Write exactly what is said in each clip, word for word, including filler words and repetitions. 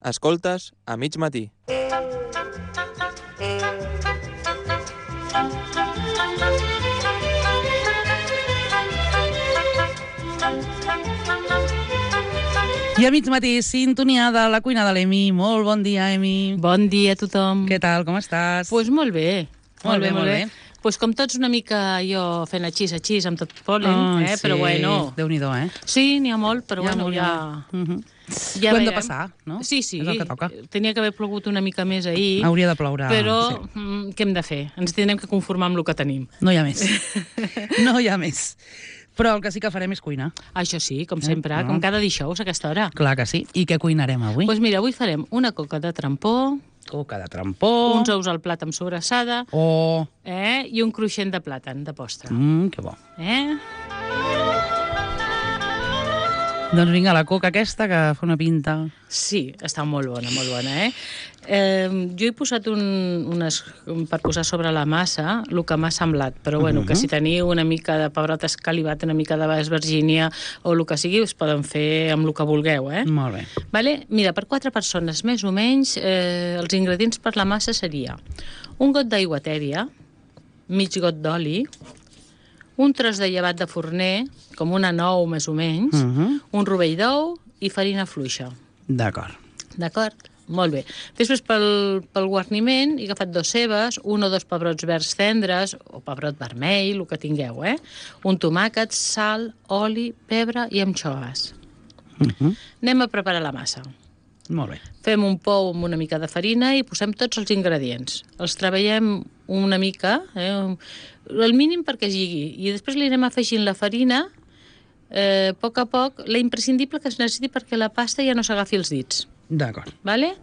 Escoltes a mig matí. I a mig matí, sintonia de la cuina de l'Emi. Molt bon dia, Emi. Bon dia a tothom. Què tal, com estàs? Doncs pues molt bé. Molt bé, molt bé. Pues com tots una mica jo fent aixís, aixís, amb tot polen, oh, eh? Sí. Però bueno... Déu-n'hi-do, eh? Sí, n'hi ha molt, però ja bueno, molt, ja... Uh -huh. ja Ho hem veiem. de passar, no? Sí, sí. És el que toca. Tenia que haver plogut una mica més ahir. Hauria de ploure. Però sí. mm, què hem de fer? Ens tindrem que conformar amb el que tenim. No hi ha més. No hi ha més. Però el que sí que farem és cuinar. Això sí, com sempre, Eh, no. com cada dijous a aquesta hora. Clar que sí. I què cuinarem avui? Doncs pues mira, avui farem una coca de trampó, coca de trampó... uns ous al plat amb sobrassada Oh! eh? i un cruixent de plàtan, de postre. Mmm, que bo. Eh? Doncs vinga, la coca aquesta, que fa una pinta... Sí, està molt bona, molt bona, eh? eh jo he posat un, unes, per posar sobre la massa el que m'ha semblat, però bueno, uh -huh. que si teniu una mica de pebrot escalivat, una mica de West Virginia o el que sigui, us poden fer amb el que vulgueu, eh? Molt bé. Vale? Mira, per quatre persones més o menys, eh, els ingredients per la massa seria un got d'aigua tèbia, mig got d'oli, un tros de llevat de forner, com una nou més o menys, Uh -huh. un rovell d'ou i farina fluixa. D'acord. D'acord? Molt bé. Després, pel, pel guarniment, he agafat dos cebes, un o dos pebrots verds tendres, o pebrot vermell, el que tingueu, eh? Un tomàquet, sal, oli, pebre i anxoves. Uh -huh. Anem a preparar la massa. Molt bé. Fem un pou amb una mica de farina i posem tots els ingredients. Els treballem una mica, eh? el mínim perquè es lligui, i després li anem afegint la farina eh, a poc a poc, la imprescindible que es necessiti perquè la pasta ja no s'agafi els dits. D'acord. Vale?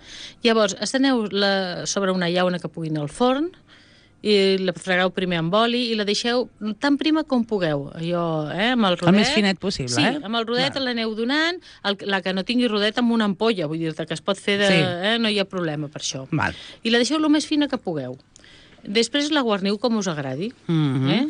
Llavors, esteneu la, sobre una llauna que pugui anar al forn, i la fregueu primer amb oli i la deixeu tan prima com pugueu, allò, eh, amb el rodet. El més finet possible, sí, eh? amb el rodet l'aneu donant, el, la que no tingui rodet amb una ampolla, vull dir-te que es pot fer de... Sí. Eh, no hi ha problema per això. Val. I la deixeu el més fina que pugueu. Després la guarniu com us agradi, Uh -huh. eh?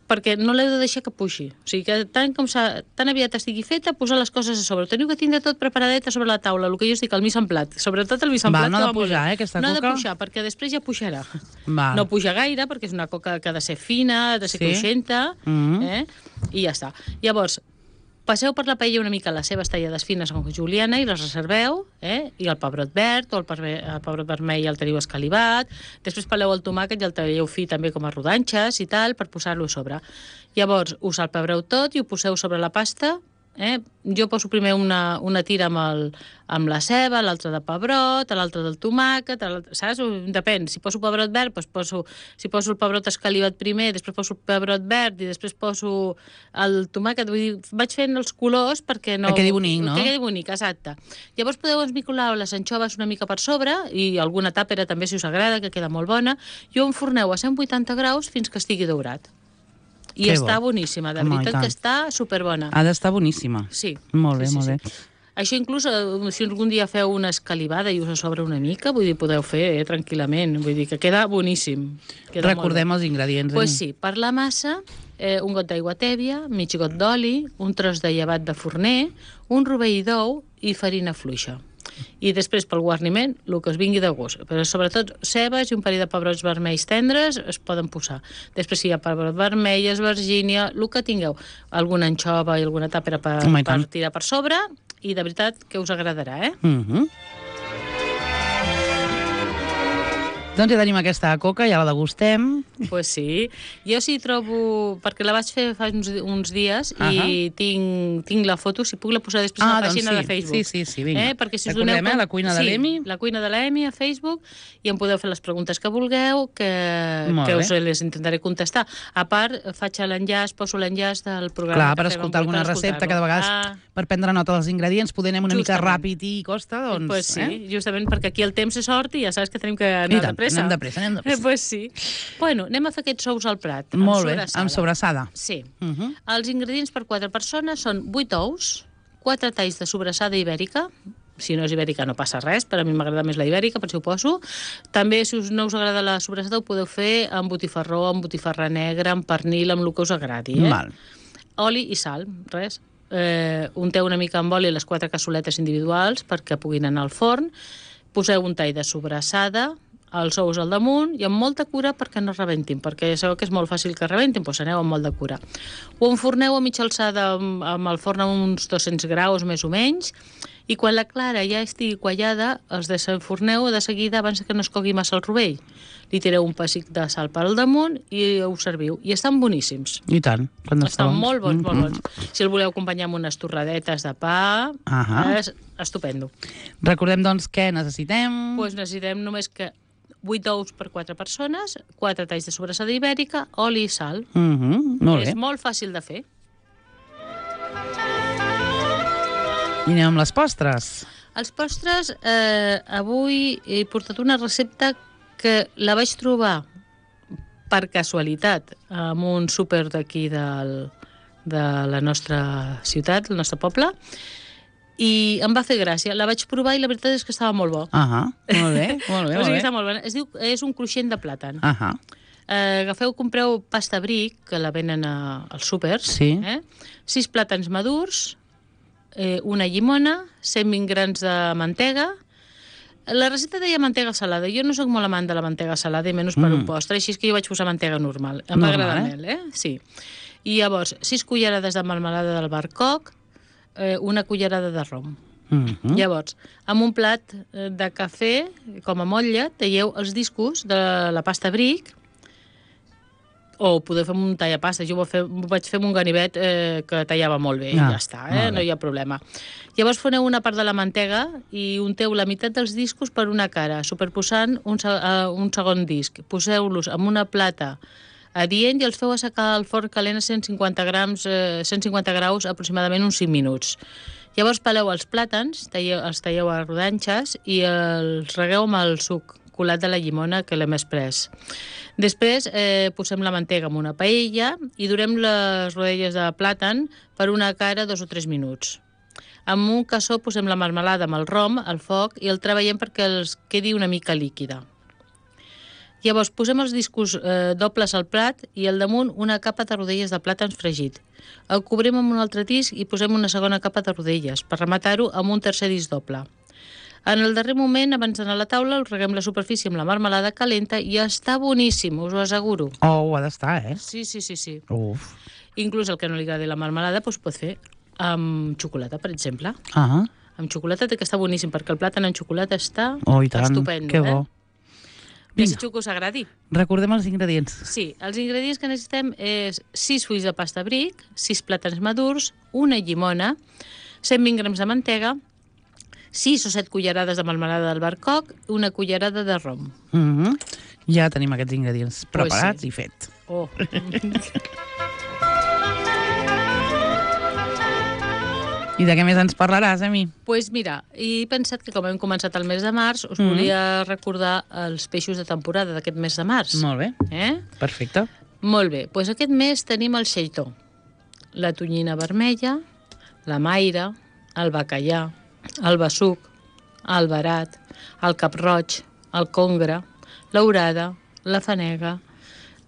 perquè no l'heu de deixar que puixi. O sigui que tant, com tan aviat estigui feta, posar les coses a sobre. Teniu que tindre tot preparadet a sobre la taula, el que jo us dic, el mise en plat. Sobretot el mise en Val, plat. no que ha va de pujar, molt bé. eh, aquesta no coca? No ha de pujar, perquè després ja pujarà. Val. No puja gaire, perquè és una coca que ha de ser fina, ha de ser Sí. cruixenta, Uh -huh. eh? i ja està. Llavors, passeu per la paella una mica les cebes tallades fines amb juliana i les reserveu, eh? i el pebrot verd o el, perve, el pebrot vermell el teniu escalivat. Després peleu el tomàquet i el talleu fi també com a rodanxes i tal, per posar-lo a sobre. Llavors, us salpebreu tot i ho poseu sobre la pasta. Eh? Jo poso primer una, una tira amb, el, amb la ceba, l'altra de pebrot, l'altra del tomàquet, saps? Depèn, si poso pebrot verd, doncs poso, si poso el pebrot escalivat primer, després poso el pebrot verd i després poso el tomàquet. Vull dir, vaig fent els colors perquè no... Que quedi bonic, no? Que quedi bonic, exacte. Llavors podeu esmicolar les anxoves una mica per sobre i alguna tàpera també, si us agrada, que queda molt bona, i ho enforneu a cent vuitanta graus fins que estigui daurat. I Que està bo. boníssima, de Home, i veritat tant. que està superbona. Ha d'estar boníssima. Sí. Molt bé, sí, sí, molt sí. bé. Això inclús, eh, si algun dia feu una escalivada i us a sobre una mica, vull dir, podeu fer eh, tranquil·lament. Vull dir que queda boníssim. Queda Recordem els ingredients. Doncs pues sí, per la massa, eh, un got d'aigua tèbia, mig got d'oli, un tros de llevat de forner, un rovell d'ou i farina fluixa. I després, pel guarniment, el que us vingui de gust. Però sobretot cebes i un parell de pebrots vermells tendres es poden posar. Després, si hi ha pebrot vermell, Virgínia, el que tingueu, alguna anxova i alguna tàpera per, Home, i per tant. tirar per sobre, i de veritat que us agradarà, eh? Uh -huh. Doncs ja tenim aquesta coca, ja la degustem. Doncs pues sí. Jo sí trobo... Perquè la vaig fer fa uns, uns dies Uh -huh. i tinc, tinc la foto, si puc la posar després Ah, a la doncs pàgina sí. de Facebook. Sí, sí, sí, vinga. Eh? Perquè si us Recordem, doneu eh, la cuina de sí, l'Emi. la cuina de l'Emi a Facebook, i em podeu fer les preguntes que vulgueu, que, Molt que bé. us les intentaré contestar. A part, faig l'enllaç, poso l'enllaç del programa. Clar, que per fem, escoltar per alguna recepta, que de vegades Ah, per prendre nota dels ingredients poder anem una mica Justament. ràpid i costa, doncs... pues sí, eh? justament perquè aquí el temps és sort i ja saps que tenim que I anar tant, de pressa. anem de pressa, anem de pressa. Eh, pues sí. Bueno, anem a fer aquests ous al plat. Molt bé, sobrassada. amb sobrassada. Sí. Uh -huh. Els ingredients per quatre persones són vuit ous, quatre talls de sobrassada ibèrica, si no és ibèrica no passa res, per a mi m'agrada més la ibèrica, per si ho poso. També, si us no us agrada la sobrassada, ho podeu fer amb botifarró, amb botifarra negra, amb pernil, amb el que us agradi. Eh? Val. Oli i sal, res. eh, unteu una mica amb oli les quatre cassoletes individuals perquè puguin anar al forn, poseu un tall de sobrassada, els ous al damunt i amb molta cura perquè no rebentin, perquè sabeu que és molt fàcil que rebentin, doncs aneu amb molt de cura. Ho enforneu a mitja alçada amb, amb el forn a uns dos-cents graus més o menys, i quan la clara ja estigui quallada, els desenforneu de seguida abans que no es cogui massa el rovell. Li tireu un pessic de sal per al damunt i ho serviu. I estan boníssims. I tant. Quan Estan molt bons, molt bons. Si el voleu acompanyar amb unes torradetes de pa, Ahà. és estupendo. Recordem, doncs, què necessitem. Doncs necessitem només que vuit ous per quatre persones, quatre talls de sobrassada ibèrica, oli i sal. Mhm, molt bé. És molt fàcil de fer. I anem amb les postres. Els postres, eh, avui he portat una recepta que la vaig trobar per casualitat en un súper d'aquí del, de la nostra ciutat, el nostre poble, i em va fer gràcia. La vaig provar i la veritat és que estava molt bo. Ahà, molt bé, molt bé, O molt sigui, bé. està molt bona. Es diu, és un cruixent de plàtan. Ahà, Eh, agafeu, compreu pasta bric, que la venen a, als súpers, Sí. eh? sis plàtans madurs, eh, una llimona, cent vint grams de mantega. La recepta deia mantega salada. Jo no sóc molt amant de la mantega salada, i menys per Mm. un postre, així és que jo vaig posar mantega normal. Em va Normal, agradar eh? mel, eh? Sí. I llavors, sis cullerades de melmelada d'albercoc, eh, una cullerada de rom. mhm, Llavors, amb un plat eh, de cafè, com a motlle, talleu els discos de la pasta bric, o podeu fer amb un tallapasta. Jo ho, fer, ho vaig fer amb un ganivet eh, que tallava molt bé, Ah, i ja està, molt eh? bé. No hi ha problema. Llavors foneu una part de la mantega i unteu la meitat dels discos per una cara, superposant un, se- uh, un segon disc. Poseu-los en una plata adient i els feu assecar al forn calent a cent cinquanta grams, eh, cent cinquanta graus aproximadament uns cinc minuts. Llavors peleu els plàtans, talleu, els talleu a rodanxes i els regueu amb el suc colat de la llimona que l'hem pres. Després eh, posem la mantega en una paella i durem les rodelles de plàtan per una cara dos o tres minuts. Amb un cassó posem la marmelada amb el rom al foc i el treballem perquè els quedi una mica líquida. Llavors posem els discos eh, dobles al plat i al damunt una capa de rodelles de plàtans fregit. El cobrim amb un altre disc i posem una segona capa de rodelles per rematar-ho amb un tercer disc doble. En el darrer moment, abans d'anar a la taula, el reguem la superfície amb la marmelada calenta i està boníssim, us ho asseguro. Oh, ho ha d'estar, eh? Sí, sí, sí, sí. Uf. Inclús el que no li agradi la marmelada doncs pot fer amb xocolata, per exemple. Ah, Amb xocolata té que està boníssim, perquè el plàtan amb xocolata està oh, i tant, estupendo. que bo. Eh? Desitjo que us agradi. Recordem els ingredients. Sí, els ingredients que necessitem és sis fulls de pasta bric, sis plàtans madurs, una llimona, cent vint grams de mantega, sis o set cullerades de melmelada d'albercoc, una cullerada de rom. Mhm. Ja tenim aquests ingredients Pues preparats sí. i fet. Oh. I de què més ens parlaràs, a mi? Pues mira, he pensat que com hem començat el mes de març, us Mhm. volia recordar els peixos de temporada d'aquest mes de març. Molt bé, Eh? perfecte. Molt bé, doncs aquest mes tenim el xeitó, la tonyina vermella, la maire, el bacallà, el besuc, el verat, el cap-roig, el congre, l'orada, la fanega,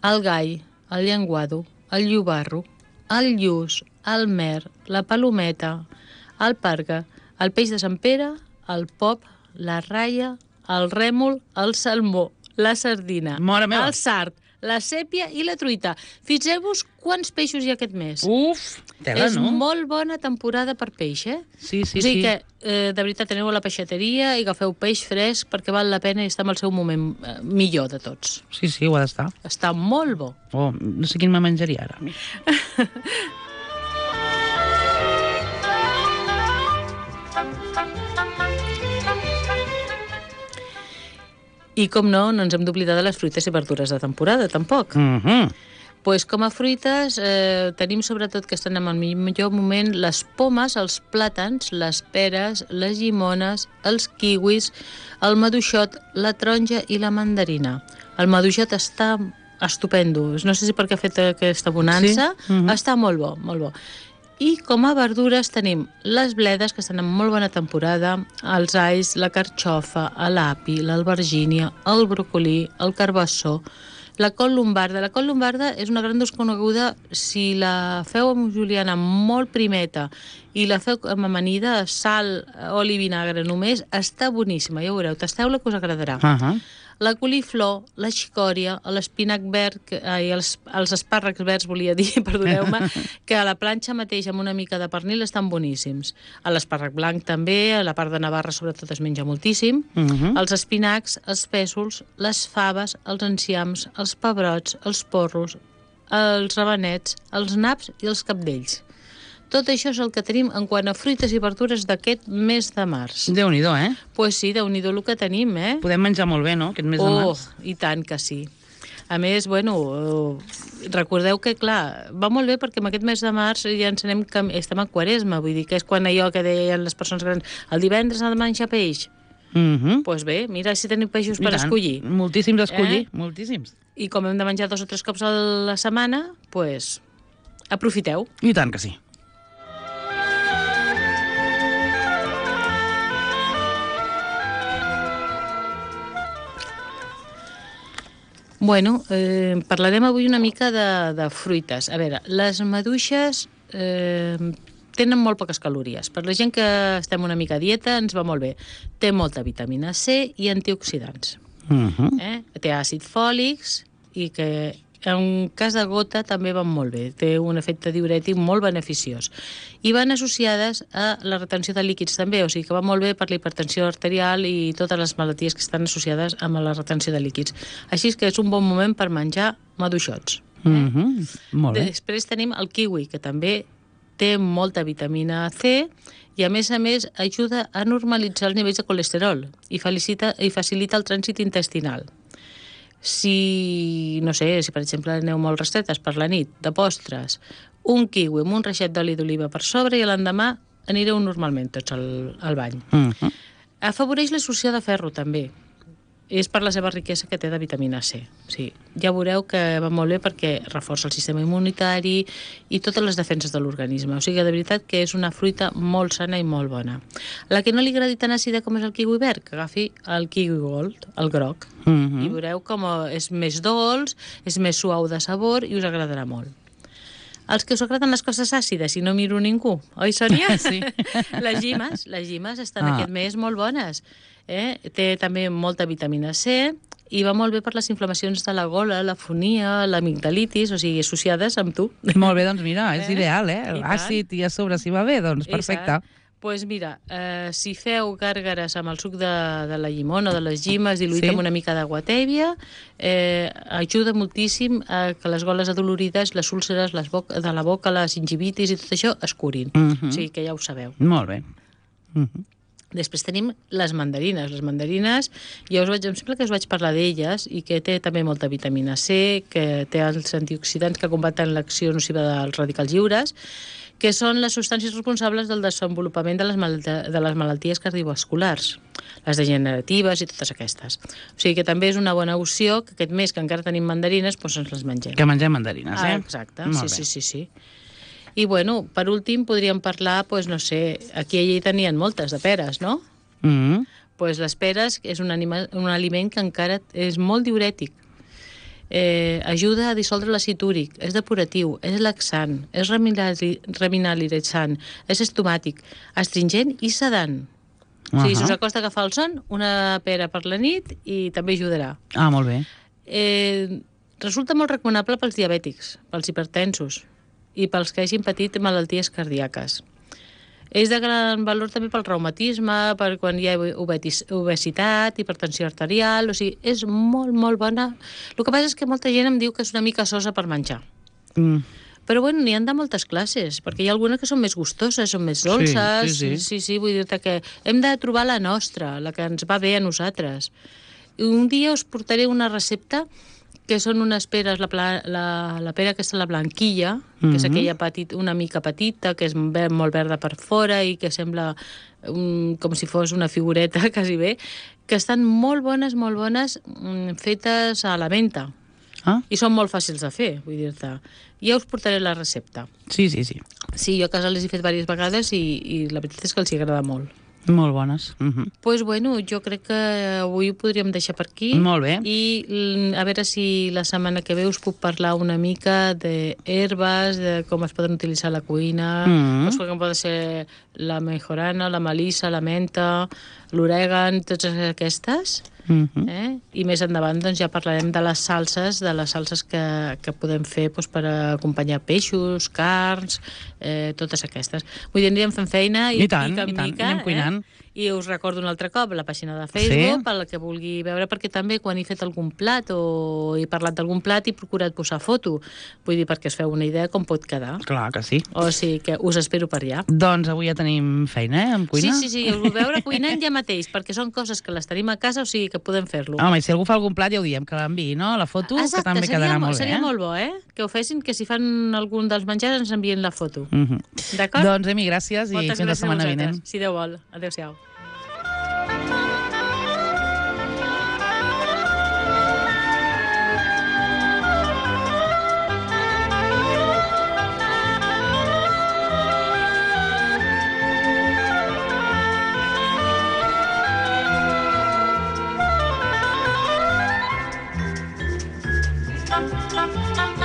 el gall, el llenguado, el llobarro, el lluç, el mer, la palometa, el parga, el peix de Sant Pere, el pop, la raia, el rèmol, el salmó, la sardina, Mare meva. el sard, la sèpia i la truita. Fixeu-vos quants peixos hi ha aquest mes. Uf, tela, És no? molt bona temporada per peix, eh? Sí, sí, o sigui sí. que, eh, de veritat, aneu a la peixateria i agafeu peix fresc perquè val la pena i està en el seu moment eh, millor de tots. Sí, sí, ho ha d'estar. Està molt bo. Oh, no sé quin me menjaria ara. I com no, no ens hem d'oblidar de les fruites i verdures de temporada, tampoc. Mhm. Pues com a fruites eh, tenim sobretot que estan en el millor moment les pomes, els plàtans, les peres, les llimones, els kiwis, el maduixot, la taronja i la mandarina. El maduixot està estupendo. No sé si perquè ha fet aquesta bonança. Sí? Mhm. Està molt bo, molt bo. I com a verdures tenim les bledes, que estan en molt bona temporada, els alls, la carxofa, l'api, l'albergínia, el brocolí, el carbassó, La col lombarda. La col lombarda és una gran desconeguda. Si la feu amb juliana molt primeta i la feu amb amanida, sal, oli i vinagre només, està boníssima, ja ho veureu. Tasteu-la que us agradarà. Uh -huh. La coliflor, la xicòria, l'espinac verd, que, ai, els, els espàrrecs verds, volia dir, perdoneu-me, que a la planxa mateix amb una mica de pernil estan boníssims. A l'espàrrec blanc també, a la part de Navarra sobretot es menja moltíssim. Uh -huh. Els espinacs, els pèsols, les faves, els enciams, els pebrots, els porros, els rabanets, els naps i els cabdells. Tot això és el que tenim en quant a fruites i verdures d'aquest mes de març. Déu-n'hi-do, eh? Pues sí, déu-n'hi-do el que tenim, eh? Podem menjar molt bé, no?, aquest mes de Oh, març. i tant que sí. A més, bueno, recordeu que, clar, va molt bé perquè en aquest mes de març ja ens anem, estem a Quaresma, vull dir que és quan allò que deien les persones grans, el divendres ha de menjar peix. Mhm. Doncs pues bé, mira si tenim peixos I per tant. escollir. Moltíssims a escollir, Eh? moltíssims. I com hem de menjar dos o tres cops a la setmana, doncs pues, aprofiteu. I tant que sí. Bueno, eh, parlarem avui una mica de, de fruites. A veure, les maduixes eh, tenen molt poques calories. Per la gent que estem una mica a dieta ens va molt bé. Té molta vitamina C i antioxidants. Mhm. Eh? Té àcid fòlics i que en cas de gota també van molt bé. Té un efecte diurètic molt beneficiós. I van associades a la retenció de líquids també, o sigui que va molt bé per la hipertensió arterial i totes les malalties que estan associades amb la retenció de líquids. Així que és un bon moment per menjar maduixots. Eh? Mhm. Molt bé. Després tenim el kiwi, que també té molta vitamina C i, a més a més, ajuda a normalitzar els nivells de colesterol i facilita, i facilita el trànsit intestinal. Si, no sé, si per exemple aneu molt restretes per la nit, de postres, un kiwi amb un reixet d'oli d'oliva per sobre i l'endemà anireu normalment tots al, al bany. Mhm. Afavoreix l'absorció de ferro també. És per la seva riquesa que té de vitamina C. Sí, ja veureu que va molt bé perquè reforça el sistema immunitari i totes les defenses de l'organisme. O sigui, de veritat que és una fruita molt sana i molt bona. La que no li agradi tan àcida com és el kiwi verd, que agafi el kiwi gold, el groc. Mhm. I veureu com és més dolç, és més suau de sabor i us agradarà molt. Els que us agraden les coses àcides i no miro ningú, oi, Sònia? Sí. Les llimes, les llimes estan Ah. aquest mes molt bones. Eh? Té també molta vitamina C i va molt bé per les inflamacions de la gola, la fonia, l'amigdalitis, o sigui, associades amb tu. Molt bé, doncs mira, és Eh? ideal, eh? I tant. L'àcid i a sobre si va bé, doncs perfecte. Doncs pues mira, eh, si feu gàrgares amb el suc de, de la llimona o de les llimes diluït Sí. amb una mica d'aigua tèbia, eh, ajuda moltíssim a que les goles adolorides, les úlceres les boca, de la boca, la gingivitis i tot això es curin. Mhm. O sigui que ja ho sabeu. Molt bé. Mhm. Després tenim les mandarines. Les mandarines, ja us vaig, em sembla que us vaig parlar d'elles i que té també molta vitamina C, que té els antioxidants que combaten l'acció nociva dels radicals lliures, que són les substàncies responsables del desenvolupament de les, mal de les malalties cardiovasculars, les degeneratives i totes aquestes. O sigui que també és una bona opció que aquest mes que encara tenim mandarines, doncs ens les mengem. Que mengem mandarines, eh? Ah, exacte, Molt sí, bé. sí, sí, sí. I bueno, per últim podríem parlar, doncs no sé, aquí i allà tenien moltes de peres, no? Mhm. Pues les peres és un, anima, un aliment que encara és molt diurètic. Eh, ajuda a dissoldre l'àcid úric, és depuratiu, és laxant, és reminali- reminalitzant, és estomàtic, astringent i sedant. O sigui, si us Ahà. acosta agafar el son, una pera per la nit i també ajudarà. Ah, molt bé. Eh, resulta molt recomanable pels diabètics, pels hipertensos i pels que hagin patit malalties cardíaques. És de gran valor també pel reumatisme, per quan hi ha obetis- obesitat, hipertensió arterial, o sigui, és molt, molt bona. El que passa és que molta gent em diu que és una mica sosa per menjar. Mm. Però bueno, n'hi han de moltes classes, perquè hi ha algunes que són més gustoses, són més dolces. sí, sí. sí, sí, vull dir-te que hem de trobar la nostra, la que ens va bé a nosaltres. I un dia us portaré una recepta que són unes peres, la, pla, la, la pera aquesta, la blanquilla, que és Mhm. aquella petit, una mica petita, que és ver, molt verda per fora i que sembla um, com si fos una figureta, quasi bé, que estan molt bones, molt bones, um, fetes a la menta. Ah? I són molt fàcils de fer, vull dir-te. Ja us portaré la recepta. Sí, sí, sí. Sí, jo a casa les he fet diverses vegades i, i la veritat és que els hi agrada molt. Molt bones. Uh -huh. Pues bueno, jo crec que avui ho podríem deixar per aquí. Molt bé. I mm, a veure si la setmana que ve us puc parlar una mica d'herbes, de com es poden utilitzar a la cuina, Mm. doncs com poden ser la mejorana, la melissa, la menta, l'orègan, totes aquestes. Uh -huh. Eh? I més endavant doncs, ja parlarem de les salses, de les salses que, que podem fer doncs, per acompanyar peixos, carns, eh, totes aquestes. Vull dir, anirem fent feina i, I tant, mica en i tant, mica, anem cuinant. Eh? I us recordo un altre cop la pàgina de Facebook, Sí. per la que vulgui veure, perquè també quan he fet algun plat o he parlat d'algun plat he procurat posar foto. Vull dir, perquè us feu una idea com pot quedar. Clar que sí. O sigui que us espero per allà. Doncs avui ja tenim feina, eh, amb cuina. Sí, sí, sí, us ho veure cuinant ja mateix, perquè són coses que les tenim a casa, o sigui que podem fer-lo. Home, i si algú fa algun plat ja ho diem, que l'enviï, no? La foto, Exacte, que també seria, quedarà mo- molt bé. seria eh? molt bo, eh? Que ho fessin, que si fan algun dels menjars ens envien la foto. Uh -huh. D'acord? Doncs, Emi, gràcies i Moltes fins la gràcies a setmana vosaltres. vinent. Si Déu vol. Adéu-siau. Thank you.